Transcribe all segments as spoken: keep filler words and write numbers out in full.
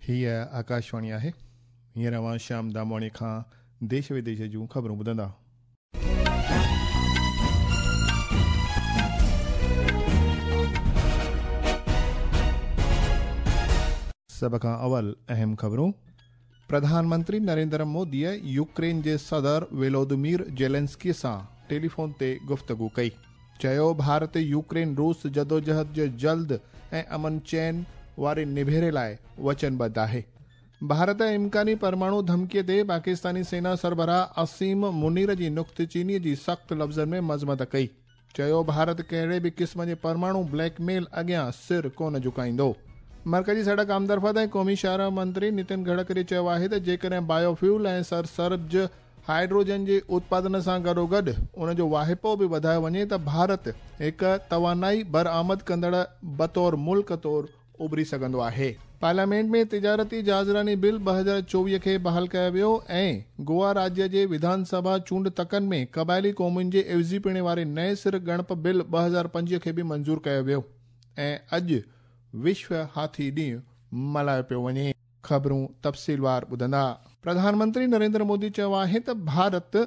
हीअ आकाशवाणी आहे। हींअर अव्हां श्याम दामवाणी खां देश विदेश जूं ख़बरूं ॿुधंदा। सभ खां अवल अहम ख़बरूं। प्रधानमंत्री नरेंद्र मोदीअ यूक्रेन जे सदर वेलोदिमीर जेलेंस्की सां टेलीफोन ते गुफ्तगू कई। चयो भारत यूक्रेन रूस जदोजहद जे जल्द ऐं अमन चैन वारे निभेरे लाइ वचनबद्ध आहे। भारत इम्कानी परमाणु धमकीअ ते पाकिस्तानी सेना सरबराह असीम मुनीर जी नुक्तचीनीअ जी सख़्त लफ़्ज़नि में मज़मत कई। चयो भारत कहिड़े बि क़िस्म जे परमाणु ब्लैकमेल अॻियां सिर कोन झुकाईंदो। मर्कज़ी सड़क आमदरफ़्त ऐं क़ौमी शाहराह मंत्री नितिन गडकरी चयो आहे त जेकॾहिं बायोफ्यूल ऐं सरसब्ज़ हाइड्रोजन जे उत्पादन सां गॾोगॾु उन जो वाहिपो बि वधायो वञे त भारत हिकु तवानाई बरामद कंदड़ बतौर मुल्क तौर उभरी सघंदो आहे। पार्लियामेंट में तिजारती जहाज़रानी बिल ॿ हज़ार चोवीह खे बहाल कयो वियो ऐं गोवा राज्य जे विधानसभा चूंड तकनि में क़बाइली क़ौमुनि जे एवज़ीपणे वारे नए सिर ॻणप बिल ॿ हज़ार पंजवीह खे बि मंज़ूर कयो वियो। ऐं अॼु विश्व हाथी ॾींहुं मल्हायो पियो वञे। ख़बरूं तफ़सीलवार ॿुधंदा। प्रधानमंत्री नरेंद्र मोदी चयो आहे त भारत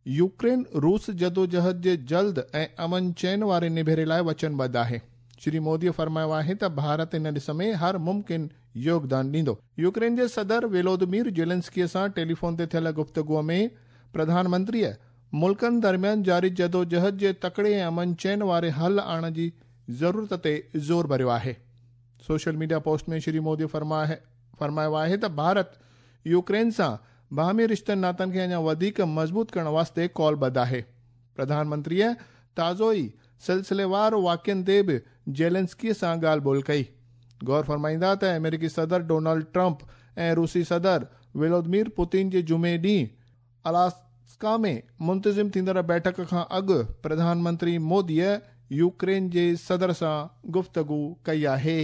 यूक्रेन रूस जदोजहद जे जल्द ऐं अमन चैन वारे निभेरे लाइ वचनबद्ध आहे। श्री मोदीअ फरमायो आहे त भारत इन ॾिस में हर मुमकिन योगदान ॾींदो। यूक्रेन जे सदर वेलोदिमीर जेलेंस्कीअ सां टेलीफोन ते थियल गुफ्तगूअ में प्रधानमंत्रीअ मुल्कनि दरमियान जारी जदोजहद जे तकड़े ऐं अमन चैन वारे हल आणण जी ज़रूरत ते ज़ोर भरियो आहे। सोशल मीडिया पोस्ट में श्री मोदी फरमायो आहे त भारत यूक्रेन सां बाहमी रिश्तनि नातनि खे अञा वधीक मज़बूत करण वास्ते कॉलबद्ध आहे। प्रधानमंत्रीअ ताज़ो ई सिलसिलेवार वाक़ियनि ते बि जेलेंस्की सां ॻाल्हि ॿोल कई। गौर फरमाईंदा त अमेरिकी सदर डोनाल्ड ट्रंप ऐं रूसी सदर व्लादिमीर पुतिन जे जुमे ॾींहुं अलास्का में मुंतज़िम थींदड़ बैठक खां अॻु प्रधानमंत्री मोदीअ यूक्रेन जे सदर सां गुफ्तगू कई आहे।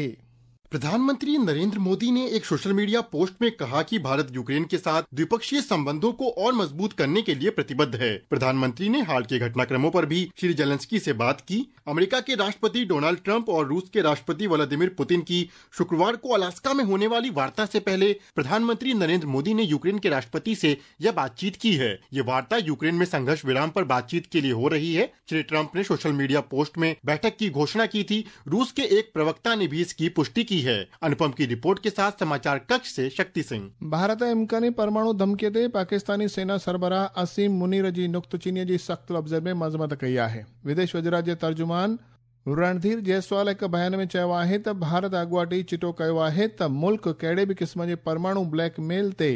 प्रधानमंत्री नरेंद्र मोदी ने एक सोशल मीडिया पोस्ट में कहा कि भारत यूक्रेन के साथ द्विपक्षीय संबंधों को और मजबूत करने के लिए प्रतिबद्ध है। प्रधानमंत्री ने हाल के घटनाक्रमों पर भी श्री जेलेंस्की से बात की। अमेरिका के राष्ट्रपति डोनाल्ड ट्रंप और रूस के राष्ट्रपति व्लादिमीर पुतिन की शुक्रवार को अलास्का में होने वाली वार्ता से पहले प्रधानमंत्री नरेंद्र मोदी ने यूक्रेन के राष्ट्रपति से यह बातचीत की है। ये वार्ता यूक्रेन में संघर्ष विराम पर बातचीत के लिए हो रही है। श्री ट्रंप ने सोशल मीडिया पोस्ट में बैठक की घोषणा की थी। रूस के एक प्रवक्ता ने भी इसकी पुष्टि की है। अनुपम की रिपोर्ट के साथ समाचार कक्ष से शक्ति सिंह। भारत इम्कानी परमाणु धमकीअ ते पाकिस्तानी सेना सरबराह असीम मुनीर जी नुक्तचीनीअ जी सख़्त लफ़्ज़नि में मज़मत कई आहे। विदेश वज़ारत जे तर्जुमान रणधीर जायसवाल हिकु बयान में चयो आहे त भारत अॻुवाट ई चिटो कयो आहे त मुल्क कहिड़े बि क़िस्म जे परमाणु ब्लैकमेल ते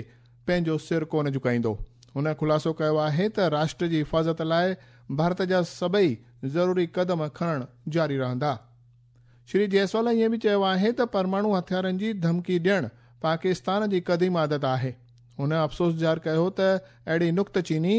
पंहिंजो सिर कोन झुकाईंदो। हुन ख़ुलासो कयो आहे त राष्ट्र जी हिफ़ाज़त लाइ भारत जा सभई ज़रूरी क़दम खणण जारी रहंदा। श्री जायसवाल ईअं बि चयो आहे त परमाणु हथियारनि जी धमकी ॾियणु पाकिस्तान जी क़दीम आदत आहे। हुन अफ़सोस ज़ाहिर कयो त अहिड़ी नुक्तचीनी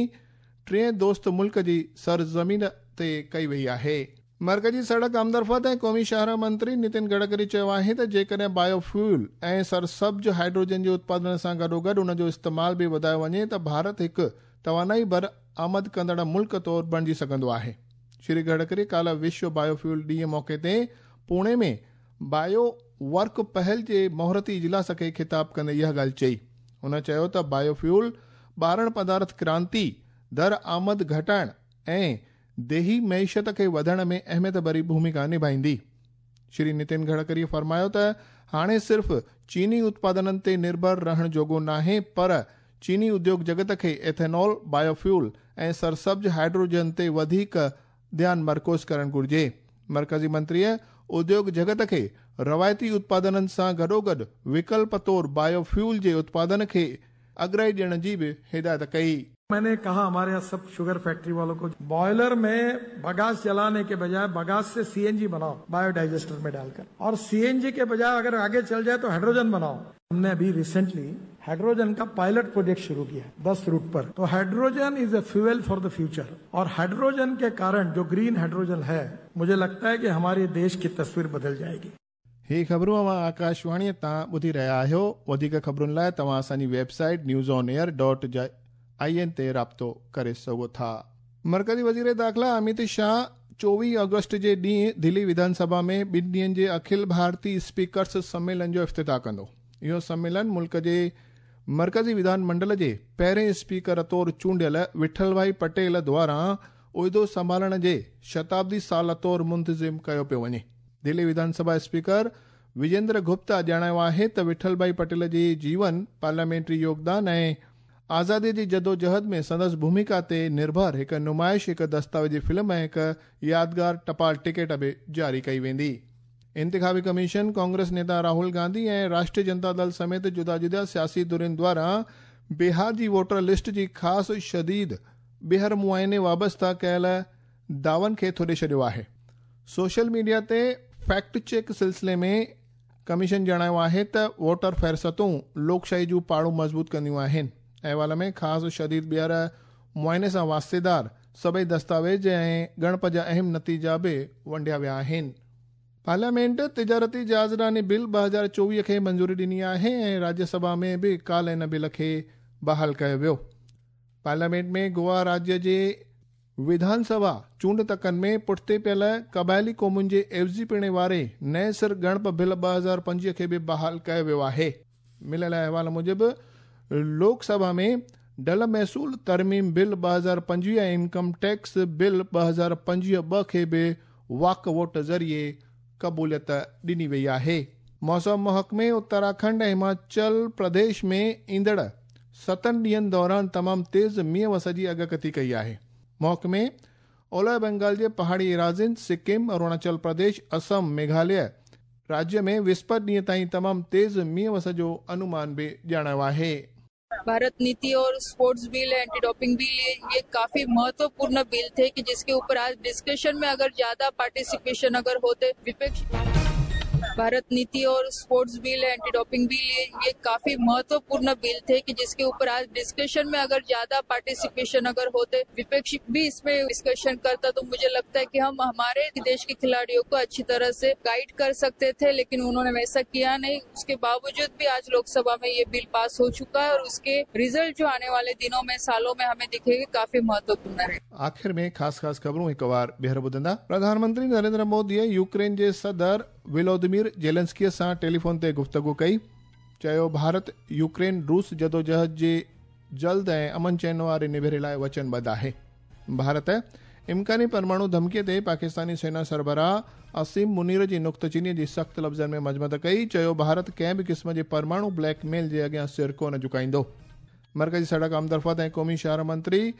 टिएं दोस्त मुल्क जी सरज़मीन ते कई वई आहे। मर्कज़ी सड़क आमदरफ़्त ऐं क़ौमी शाहराह मंत्री नितिन गडकरी चयो आहे त जेकॾहिं बायोफ्यूल ऐं सरसब्ज़ हाइड्रोजन जे उत्पादन सां गॾोगॾु उन जो इस्तेमाल बि वधायो वञे त भारत हिकु तवानाई बरामद कंदड़ मुल्क तौर बणिजी सघंदो आहे। श्री गडकरी काल्ह विश्व बायोफ्यूल ॾींहं मौक़े ते पुणे में बायो वर्क पहल जे मुहूर्ती इजलास खे ख़िताब कंदे इहा ॻाल्हि चई। हुन चयो त बायोफ्यूल ॿारण पदार्थ क्रांति, दरआमद घटाइण ऐं देही मईशत खे वधण में अहमियत भरी भूमिका निभाईंदी। श्री नितिन गडकरी फरमायो त हाणे सिर्फ़ चीनी उत्पादननि ते निर्भर रहण जोॻो नाहे, पर चीनी उद्योग जगत खे एथेनॉल, बायोफ्यूल ऐं सरसब्ज़ हाइड्रोजन ते वधीक ध्यानु मरकूज़ करणु घुरिजे। मर्कज़ी मंत्रीअ उद्योग जगत खे रवायती उत्पादननि सां गॾोगॾु विकल्प तौर बायोफ्यूल जे उत्पादन खे अॻिराई ॾियण जी बि हिदायत कई। मैंने कहा हमारे यहाँ सब शुगर फैक्ट्री वालों को बॉयलर में बगास जलाने के बजाय बगास से सीएनजी बनाओ बायोडाइजेस्टर में डालकर, और सीएनजी के बजाय अगर आगे चल जाए तो हाइड्रोजन बनाओ। हमने अभी रिसेंटली हाइड्रोजन का पायलट प्रोजेक्ट शुरू किया है दस रूट पर। तो hydrogen is a fuel for the future, और हाइड्रोजन के कारण जो ग्रीन हाइड्रोजन है, मुझे लगता है कि हमारे देश की तस्वीर बदल जाएगी। ही ख़बरूं अव्हां आकाशवाणीअ तां ॿुधी रहिया आहियो। वधीक ख़बरुनि लाइ तव्हां असांजी website news on air dot I N ते राब्तो करे सघो था। मर्कज़ी वज़ीर दाख़िला अमित शाह चोवीह अगस्त जे ॾींहुं दिल्ली विधानसभा में ॿिनि ॾींहनि जे अखिल भारतीय स्पीकर्स सम्मेलन जो इफ्तिताह कंदो। इहो सम्मेलन मुल्क जे मर्कज़ी विधान मंडल जे पहिरें स्पीकर तौर चूंडियल विठल भाई पटेल द्वारा उहिदो संभालण जे शताब्दी साल तौर मुंतज़िम कयो पियो वञे। दिल्ली विधानसभा स्पीकर विजेंद्र गुप्ता ॼाणायो आहे त विठल भाई पटेल जे जीवन, पार्लियामेंट्री योगदान ऐं आज़ादीअ जी जदोजहद में संदसि भूमिका ते निर्भर हिकु नुमाइश, हिकु दस्तावेज़ी फ़िल्म ऐं हिकु यादगार टपाल टिकट बि जारी कई वेंदी। इंतिखाबी कमीशन कांग्रेस नेता राहुल गांधी ऐं राष्ट्रीय जनता दल समेत जुदा जुदा सियासी धुरियुनि द्वारा बिहार जी वोटर लिस्ट जी ख़ासि शदीद ॿीहर मुआइने वाबस्ता कयल दावन खे थोॾे छॾियो आहे। सोशल मीडिया ते फैक्ट चेक सिलसिले में कमीशन ॼाणायो आहे त वोटर फ़हरिस्तूं लोकशाही जूं पाड़ूं मज़बूत कंदियूं आहिनि। अहवाल में ख़ासि शदीद ॿीहर मुआइने सां वास्तेदार सभई दस्तावेज़ ऐं ॻणप जा अहम नतीजा बि वंडिया विया आहिनि। पार्लियामेंट तिजारती जहाज़रानी बिल ॿ हज़ार चोवीह खे मंज़ूरी ॾिनी आहे ऐं राज्यसभा में बि काल्ह इन बिल खे बहाल कयो वियो। पार्लियामेंट में गोवा राज्य जे विधानसभा चूंड तकनि में पुठिते पियल क़बाइली क़ौमुनि जे एवज़ी पिणे वारे नए सिर ॻणप बिल ॿ हज़ार पंजवीह खे बि बहाल कयो वियो आहे। मिलियल अहवाल मूजिबि लोकसभा में डल महसूल तरमीम बिल ॿ हज़ार पंजवीह ऐं इनकम टैक्स बिल ॿ हज़ार पंजवीह ॿ खे बि वाक वोट ज़रिए क़बूलियत ॾिनी वई आहे। मौसम महकमे उत्तराखंड ऐं हिमाचल प्रदेश में ईंदड़ सतनि ॾींहंनि दौरान तमामु तेज़ मींहं वस जी अॻकथी कई आहे। महकमे ओलह बंगाल जे पहाड़ी एराज़ियुनि, सिक्किम, अरुणाचल प्रदेश, असम, मेघालय राज्य में विस्पत ॾींहं ताईं तमामु तेज़ मींहं वस जो अनुमान बि ॼाणायो आहे। भारत नीति और sports bill, anti doping bill, ये, ये काफी महत्वपूर्ण बिल थे कि जिसके ऊपर आज डिस्कशन में अगर ज्यादा पार्टिसिपेशन अगर होते विपक्ष। भारत नीति और sports bill, anti doping bill, ये, ये काफी महत्वपूर्ण बिल थे कि जिसके ऊपर आज डिस्कशन में अगर ज्यादा पार्टिसिपेशन अगर होते विपक्ष भी इसमें डिस्कशन करता तो मुझे लगता है कि हम हमारे देश के खिलाड़ियों को अच्छी तरह से गाइड कर सकते थे, लेकिन उन्होंने वैसा किया नहीं। उसके बावजूद भी आज लोकसभा में ये बिल पास हो चुका है और उसके रिजल्ट जो आने वाले दिनों में, सालों में हमें दिखेंगे काफी महत्वपूर्ण रहे। आख़िर में ख़ासि ख़ासि ख़बरूं हिकु वार ॿीहर ॿुधंदा। प्रधानमंत्री नरेंद्र मोदीअ यूक्रेन जे सदर विलोदिमीर जेलेंस्कीअ सां टेलीफोन ते गुफ्तगू कई। चयो भारत यूक्रेन रूस जदोजहद जे जल्द ऐं अमन चैन वारे निभेरे लाइ वचनबद्ध आहे। भारत इम्कानी परमाणु धमकीअ ते पाकिस्तानी सेना सरबराह असीम मुनीर जी नुक्तचीनीअ जी सख़्तु लफ़्ज़नि में मज़मत कई। चयो भारत कंहिं बि क़िस्म जे परमाणु ब्लैकमेल जे अॻियां सिर कोन झुकाईंदो। मर्कज़ी सड़क आमदरफ़्त ऐं क़ौमी शहर मंत्री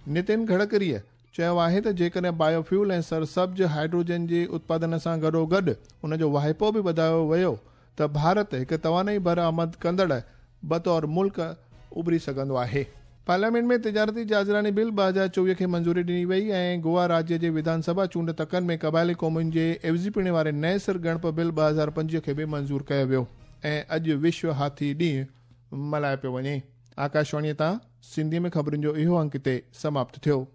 नितिन गडकरीअ चयो आहे त जेकॾहिं बायोफ्यूल ऐं सरसब्ज़ हाइड्रोजन जे उत्पादन सां गॾोगॾु उन जो वाहिपो बि वधायो वियो त भारत हिकु तवानाई बरामद कंदड़ बतौर मुल्क उभरी सघंदो आहे। पार्लियामेंट में तिजारती जहाज़रानी बिल ॿ हज़ार चोवीह खे मंज़ूरी ॾिनी वई ऐं गोवा राज्य जे विधानसभा चूंड तकनि में क़बाइली क़ौमुनि जे एवज़ी पिणे वारे नए सिर ॻणप बिल ॿ हज़ार पंजवीह खे बि मंज़ूर कयो वियो ऐं अॼु विश्व हाथी ॾींहुं मल्हायो पियो वञे। आकाशवाणीअ तां सिंधीअ में ख़बरुनि जो इहो अंक हिते समाप्त थियो।